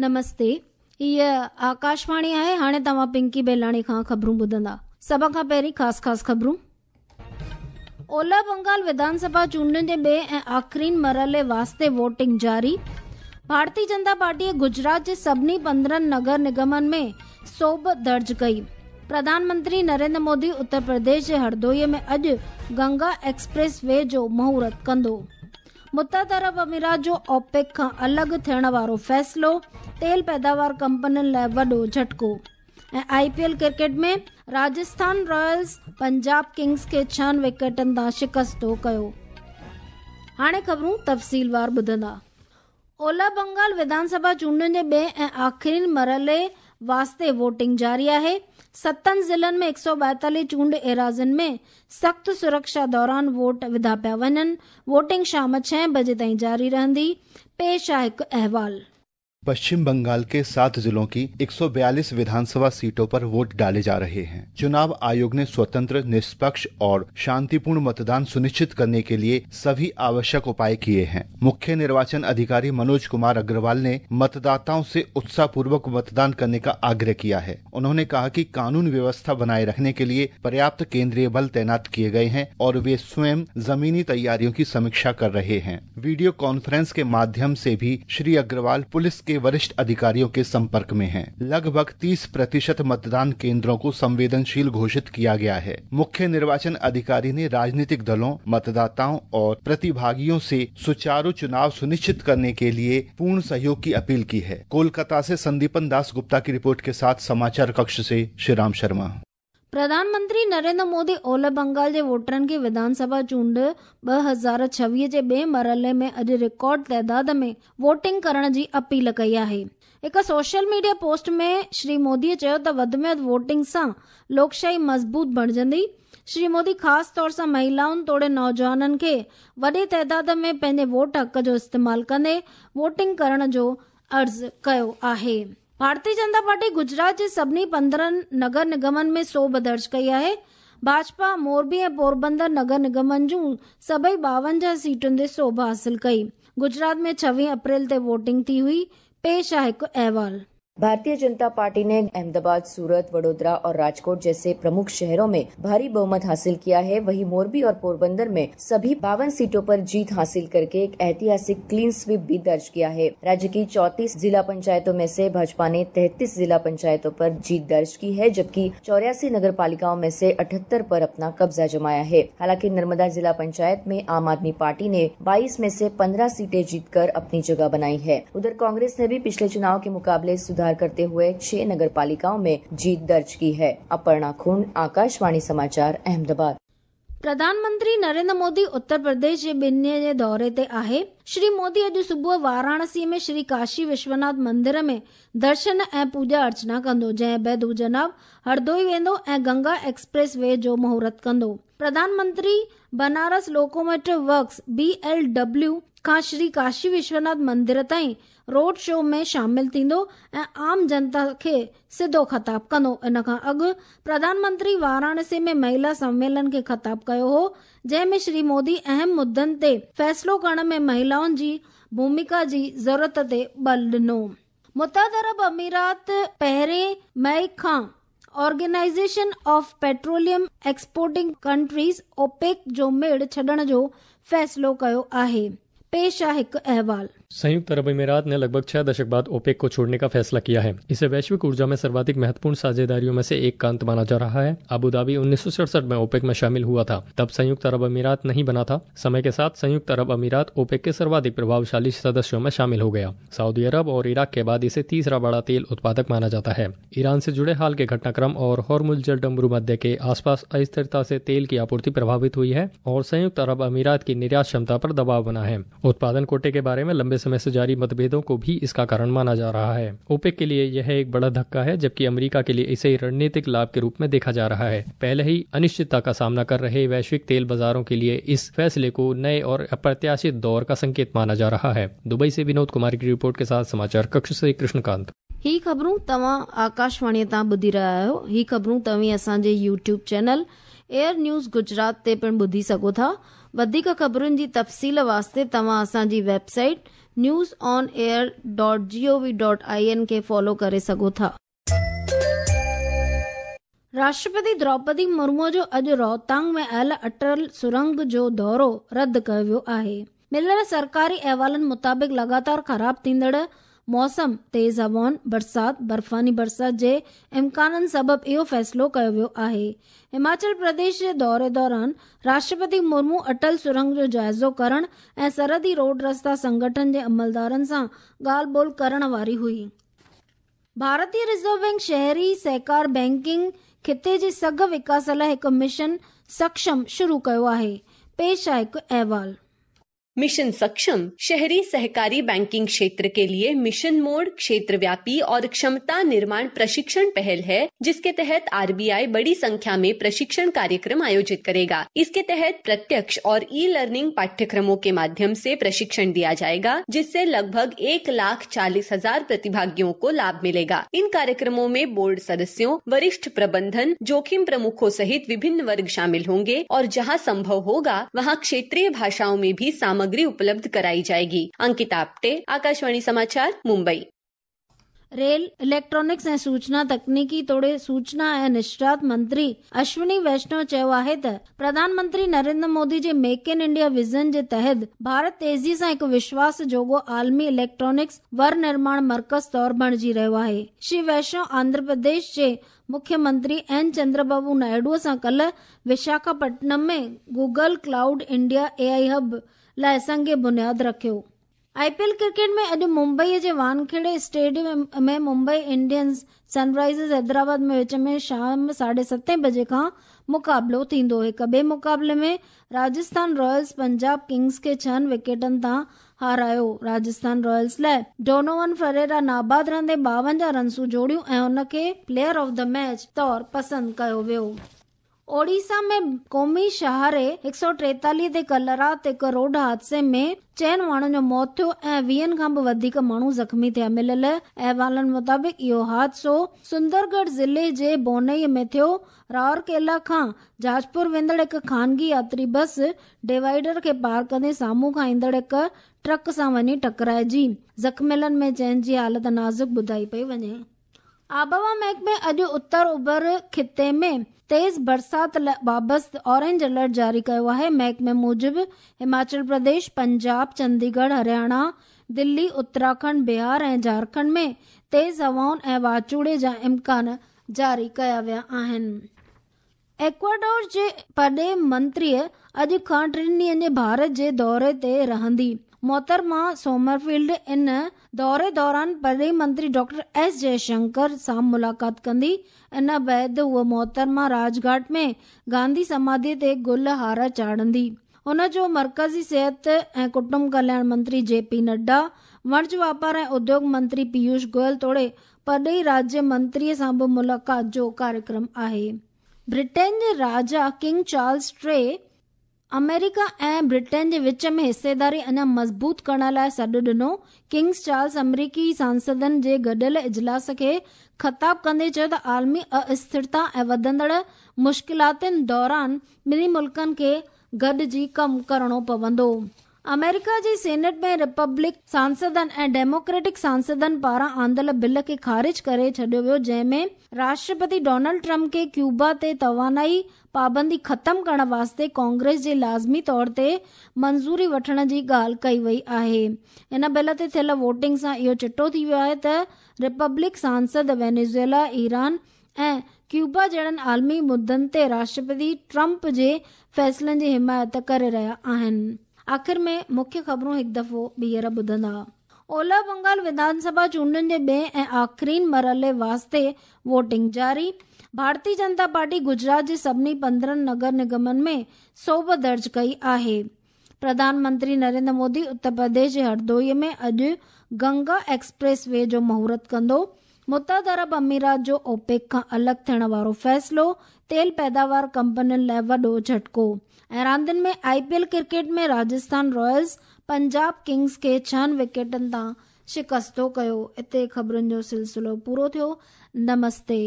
نمستي هيء آڪاشواڻي آهي هاڻي توهان پنڪي بيلاڻي کان خبرون ٻڌندا سڀ کان پهرين خاص خاص خبرون اولهه بنگال وڌان سڀا چونڊن جي ٻئي ۽ آخرين مرحلي واسطي ووٽنگ جاري ڀارتي جنتا پارٽيء گجرات جي سڀني 15 نگر نگمن ۾ سوڀ درج ڪئي پرڌان منتري نريندر مودي اتر پرديش جي هردوئي ۾ اڄ گنگا ايڪسپريس وي جو مهورت ڪندو متحده عرب امارات جو اوپيڪ کان الڳ ٿيڻ وارو فيصلو تيل پيداوار ڪمپنين لاء وڏو جهٽڪو ۽ I P L cricket ۾ Rajasthan Royals Punjab Kings کي ڇهن وڪيٽن تان شڪستو ڪيو. هاڻي خبرون تفصيلوار ٻڌندا. اولهه بنگال وڌان سڀا چونڊن جي ٻئي ۽ آخرين مرحلي واسطي ووٽنگ جاري آهي. ستن ضلعن ۾ 142 چونڊ ايراضين ۾ سخت سرڪشا دوران ووٽ وڌا پيا وڃن. ووٽنگ شام ڇهين بجي تائين جاري رهندي. پيش آهي هڪ احوال. पश्चिम बंगाल के सात जिलों की 142 विधानसभा सीटों पर वोट डाले जा रहे हैं। चुनाव आयोग ने स्वतंत्र, निष्पक्ष और शांतिपूर्ण मतदान सुनिश्चित करने के लिए सभी आवश्यक उपाय किए हैं। मुख्य निर्वाचन अधिकारी मनोज कुमार अग्रवाल ने मतदाताओं से उत्साहपूर्वक मतदान करने का आग्रह किया है। उन्होंने कहा कि कानून व्यवस्था बनाए रखने के लिए पर्याप्त केंद्रीय बल तैनात किए गए हैं और वे स्वयं जमीनी तैयारियों की समीक्षा कर रहे हैं। वीडियो कॉन्फ्रेंस के माध्यम से भी श्री अग्रवाल पुलिस के वरिष्ठ अधिकारियों के संपर्क में हैं। लगभग 30% मतदान केंद्रों को संवेदनशील घोषित किया गया है। मुख्य निर्वाचन अधिकारी ने राजनीतिक दलों, मतदाताओं और प्रतिभागियों से सुचारू चुनाव सुनिश्चित करने के लिए पूर्ण सहयोग की अपील की है। कोलकाता से संदीपन दास गुप्ता की रिपोर्ट के साथ समाचार कक्ष से श्रीराम शर्मा। प्रधान मंत्री नरेंद्र मोदी اولهه بنگال جي ووٽرن کي وڌان سڀا چونڊ 2026 جي ٻئي مرحلي ۾ اڄ رڪارڊ تعداد ۾ ووٽنگ ڪرڻ جي اپيل ڪئي آهي. هڪ social media post ۾ Shri Modi چيو ته وڌ ۾ وڌ ووٽنگ سان لوڪشاهي مضبوط بڻجندي. شري مودي خاص طور سان مهيلائن توڙي نوجوانن کي وڏي تعداد ۾ پنهنجي ووٽ حق جو استعمال ڪندي ووٽنگ ڪرڻ جو عرض ڪيو آهي. ڀارتي جنتا پارٽي گجرات جي سڀني 15 نگر نگمن ۾ سوڀ درج ڪئي آهي. ڀاجپا موربي ۽ پوربندر نگر نگمن جون سڀئي 52 سيٽن تي سوڀ حاصل ڪئي. گجرات ۾ 26 اپريل تي ووٽنگ ٿي هئي. پيش آهي هڪ احوال. भारतीय जनता पार्टी ने अहमदाबाद, सूरत, वडोदरा और राजकोट जैसे प्रमुख शहरों में भारी बहुमत हासिल किया है। वहीं मोरबी और पोरबंदर में सभी 52 सीटों पर जीत हासिल करके एक ऐतिहासिक क्लीन स्वीप भी दर्ज किया है। राज्य की 34 जिला पंचायतों में से भाजपा ने 33 जिला पंचायतों पर जीत दर्ज की है, जबकि 84 नगर पालिकाओं में से 78 पर अपना कब्जा जमाया है। हालांकि नर्मदा जिला पंचायत में आम आदमी पार्टी ने 22 में से 15 सीटें जीतकर अपनी जगह बनाई है। उधर कांग्रेस ने भी पिछले चुनाव के मुकाबले सुधार करते हुए 6 नगर पालिकाओं में जीत दर्ज की है। अपर्णा खून, आकाशवाणी समाचार, अहमदाबाद। प्रधान मंत्री नरेंद्र मोदी उत्तर प्रदेश जे ॿिनि ॾींहن जे दौरे ते आहे। श्री मोदी अॼु सुबुह वाराणसी में श्री काशी विश्वनाथ मंदिर में दर्शन ऐं पूॼा अर्चना कंदो, जंहिं बाद हू जनाब हरदोई वेंदो ऐं गंगा एक्सप्रेस वे जो मुहूर्त कंदो। प्रधानमंत्री बनारस लोकोमोटिव वर्क्स BLW खां श्री काशी विश्वनाथ मंदिर ताईं रोड शो में शामिल थींदो ऐं आम जनता खे सिधो ख़िताब कंदो। इन खां अॻु प्रधानमंत्री वाराणसी में महिला सम्मेलन खे ख़िताब कयो हो, जंहिं में श्री मोदी अहम मुद्दनि ते फ़ैसिलो करण में महिलाउनि जी भूमिका जी ज़रूरत ते बल ॾिनो। मुतहद अरब अमीरात पहिरें मई खां Organisation of Petroleum Exporting Countries OPEC जो मेड़ छॾण जो फ़ैसिलो कयो आहे। पेश आहे हिकु अहवाल। संयुक्त अरब अमीरात ने लगभग 6 दशक बाद ओपेक को छोड़ने का फैसला किया है। इसे वैश्विक ऊर्जा में सर्वाधिक महत्वपूर्ण साझेदारियों में से एक का अंत माना जा रहा है। अबू धाबी 1967 में ओपेक में शामिल हुआ था, तब संयुक्त अरब अमीरात नहीं बना था। समय के साथ संयुक्त अरब अमीरात ओपेक के सर्वाधिक प्रभावशाली सदस्यों में शामिल हो गया। सऊदी अरब और इराक के बाद इसे तीसरा बड़ा तेल उत्पादक माना जाता है। ईरान से जुड़े हाल के घटनाक्रम और हॉर्मुज जलडमरूमध्य के आसपास अस्थिरता से तेल की आपूर्ति प्रभावित हुई है और संयुक्त अरब अमीरात की निर्यात क्षमता पर दबाव बना है। उत्पादन कोटे के बारे में लंबे समय से जारी मतभेदों को भी इसका कारण माना जा रहा है। ओपेक के लिए यह एक बड़ा धक्का है, जबकि अमेरिका के लिए इसे रणनीतिक लाभ के रूप में देखा जा रहा है। पहले ही अनिश्चितता का सामना कर रहे वैश्विक तेल बाजारों के लिए इस फैसले को नए और अप्रत्याशित दौर का संकेत माना जा रहा है। दुबई से विनोद कुमार की रिपोर्ट के साथ समाचार कक्ष से कृष्णकांत। ही ख़बरूं तव्हां आकाशवाणीअ तां ॿुधी रहिया आहियो। ही ख़बरूं तव्हीं असांजे YouTube channel Air News Gujarat ते पिणु ॿुधी सघो था। वधीक ख़बरुनि जी तफ़सील वास्ते तव्हां असांजी website news on air dot G O V dot I N खे फॉलो करे सघो था। राष्ट्रपति द्रौपदी मुर्मू जो अॼु रोहतांग में आयल अटल सुरंग जो दौरो रद्द कयो वियो आहे। मिलियल सरकारी अहवालनि मुताबिक़ लगातार ख़राब थींदड़ मौसम, तेज़ हवाउनि, बरसाति, बर्फ़ानी बरसाति जे इम्काननि सबबि इहो फ़ैसिलो कयो वियो आहे। हिमाचल प्रदेश जे दौरे दौरान राष्ट्रपति मुर्मू अटल सुरंग जो जाइज़ो करण ऐं सरहदी रोड रस्ता संगठन जे अमलदारनि सां ॻाल्हि ॿोल करण वारी हुई। भारतीय रिज़र्व बैंक शहरी सहकार बैंकिंग खिते जी सघ विकास लाइ हिकु मिशन सक्षम शुरू कयो आहे। पेश आहे हिकु अहवाल। मिशन सक्षम शहरी सहकारी बैंकिंग क्षेत्र के लिए मिशन मोड क्षेत्रव्यापी और क्षमता निर्माण प्रशिक्षण पहल है, जिसके तहत आरबीआई बड़ी संख्या में प्रशिक्षण कार्यक्रम आयोजित करेगा। इसके तहत प्रत्यक्ष और ई लर्निंग पाठ्यक्रमों के माध्यम से प्रशिक्षण दिया जाएगा, जिससे लगभग 1,40,000 प्रतिभागियों को लाभ मिलेगा। इन कार्यक्रमों में बोर्ड सदस्यों, वरिष्ठ प्रबंधन, जोखिम प्रमुखों सहित विभिन्न वर्ग शामिल होंगे और जहाँ संभव होगा वहाँ क्षेत्रीय भाषाओं में भी सामग्री उपलब्ध कराई जाएगी। अंकिता आप्टे, आकाशवाणी समाचार, मुंबई। रेल, इलेक्ट्रॉनिक्स ऐं सूचना तकनीकी तोड़े सूचना ऐं निशरात मंत्री अश्विनी वैष्णव चयो आहे त प्रधानमंत्री नरेंद्र मोदी जे मेक इन इंडिया विजन जे तहत भारत तेज़ी सां हिकु विश्वास जोॻो आलमी इलेक्ट्रॉनिक्स वर निर्माण मर्कज़ तौर बणिजी रहियो आहे। श्री वैष्णव आंध्र प्रदेश जे मुख्यमंत्री एन चंद्रबाबू नायडूअ सां कल्ह Visakhapatnam में Google cloud India AI hub लाइ संग बुनियाद रखियो। आईपीएल क्रिकेट में अॼु मुंबईअ जे Wankhede stadium में मुंबई इंडियंस सनराइजर्स हैदराबाद में विच में शाम 7:30 बजे खां मुक़ाबिलो थींदो। हिक ॿिए मुक़ाबले में राजस्थान रॉयल्स पंजाब किंग्स खे 6 विकेटनि तां हारायो। राजस्थान रॉयल्स लाइ डोनोवन फरेरा नाबाद रहंदे 52 रनसूं जोड़ियूं ऐं हुनखे प्लेयर ऑफ the match तौर पसंदि कयो वियो। ओडिशा में क़ौमी शहारे 143 ते कल्ह राति हिकु रोड हादसे में 4 माण्हुनि जो मौत थियो ऐं 20 खां बि वधीक माण्हू ज़ख़्मी थिया। मिलियल अहवालनि मुताबिक़ इहो हादसो सुंदरगढ़ ज़िले जे बोनई में थियो। राउरकेला खां जाजपुर वेंदड़ हिकु ख़ानगी यात्री बस डिवाइडर खे पार कंदे साम्हूं खां ईंदड़ हिकु ट्रक सां वञी टकराइजी। ज़ख़्मियलनि में 4 जी हालत नाज़ुक ॿुधाई पई वञे। आबहवा महकमे अॼु उत्तर उभर खिते में तेज़ बरसाति बाबति ऑरेंज अलर्ट जारी कयो आहे। महकमे मूजिबि हिमाचल प्रदेश, पंजाब, चंडीगढ़, हरियाणा, दिल्ली, उत्तराखंड, बिहार ऐं झारखंड में तेज़ हवाउनि ऐं वाचूड़े जा इम्कान जारी कया विया आहिनि। एक्वाडोर जे परॾेही मंत्रीअ अॼु खां 3 ॾींहनि जे भारत जे दौरे ते रहंदी। मोहतरमा सोमरफील्ड इन दौरे दौरान परॾेही मंत्री डॉक्टर एस जयशंकर सां मुलाक़ात कंदी। इन बाद हूअ मोहतरमा राजघाट में गांधी समाधि ते गुल हार चाढ़ंदी। हुन जो मर्कज़ी सिहत ऐं कुटुंब कल्याण मंत्री जे पी नड्डा, वणज वापार ऐं उद्योग मंत्री पीयूष गोयल तोड़े परॾेही राज्य मंत्रीअ सां बि मुलाक़ात जो कार्यक्रम आहे। ब्रिटेन जे राजा किंग चार्ल्स टे अमेरिका ऐं ब्रिटेन जे विच में हिस्सेदारी अञा मज़बूत करण लाइ सॾु ॾिनो। किंग्स चार्ल्स अमरीकी सांसदनि जे गॾियल इजलास खे ख़िताब कंदे चयो त आलमी अस्थिरता ऐं वधंदड़ मुश्किलातुनि दौरान ॿिन्ही मुल्कनि खे गॾिजी कमु करिणो पवंदो। अमेरिका जे सेनेट में रिपब्लिक सांसदनि ऐं डेमोक्रेटिक सांसदनि पारां आंदियल बिल खे ख़ारिज करे छॾियो वियो, जंहिंमें राष्ट्रपति डोनाल्ड ट्रंप खे क्यूबा ते तवानाई पाबंदी ख़त्म करण वास्ते कांग्रेस जे लाज़मी तौर ते मंज़ूरी वठण जी ॻाल्हि कई वई आहे। इन बिल ते थियल वोटिंग सां इहो चिटो थी वियो आहे त रिपब्लिक सांसद वेनेज़ुएला, ईरान ऐं क्यूबा जहिड़नि आलमी मुद्दनि ते राष्ट्रपति ट्रंप जे फ़ैसिलनि जी हिमायत करे रहिया आहिनि। आख़िर में मुख्य ख़बरूं हिकु दफ़ो ॿीहर ॿुधंदा। ओलह बंगाल विधानसभा चूंडुनि जे ॿिए ऐं आख़िरीन मरहले वास्ते वोटिंग जारी। भारतीय जनता पार्टी गुजरात जे सभिनी 15 नगर निगमनि में सोभ दर्ज कई आहे। प्रधानमंत्री नरेंद्र मोदी उत्तर प्रदेश जे हरदोई में अॼु गंगा एक्सप्रेस वे जो मुहूर्त कंदो। मुत्तहिद अरब अमीरात जो ओपेक खां अलॻि थियण वारो फ़ैसिलो तेल पैदावार कंपनियुनि लाइ वॾो झटको। ऐं रांदियुनि में आईपीएल क्रिकेट में राजस्थान रॉयल्स पंजाब किंग्स खे 6 विकेटनि तां शिकस्तो कयो। हिते ख़बरुनि जो सिलसिलो पूरो थियो। नमस्ते।